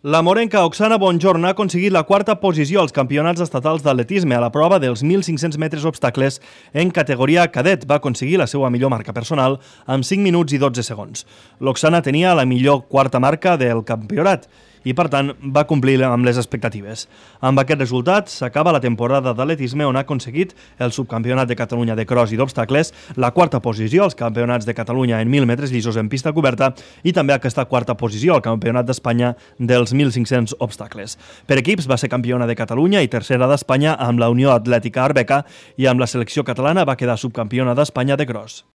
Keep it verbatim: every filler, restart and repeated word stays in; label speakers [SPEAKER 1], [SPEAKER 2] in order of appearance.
[SPEAKER 1] La morenca Oksana Bonjorn ha aconseguit la quarta posició als campionats estatals d'atletisme a la prova dels mil cinc-cents metres obstacles en categoria cadet. Va aconseguir la seva millor marca personal amb cinc minuts i dotze segons. L'Oksana tenia la millor quarta marca del campionat i, per tant, va complir amb les expectatives. Amb aquest resultat, s'acaba la temporada d'atletisme on ha aconseguit el subcampionat de Catalunya de cross i d'obstacles, la quarta posició als campionats de Catalunya en mil metres llisos en pista coberta i també aquesta quarta posició al campionat d'Espanya dels mil cinc-cents obstacles. Per equips va ser campiona de Catalunya i tercera d'Espanya amb la Unió Atlètica Arbeca i amb la selecció catalana va quedar subcampiona d'Espanya de cross.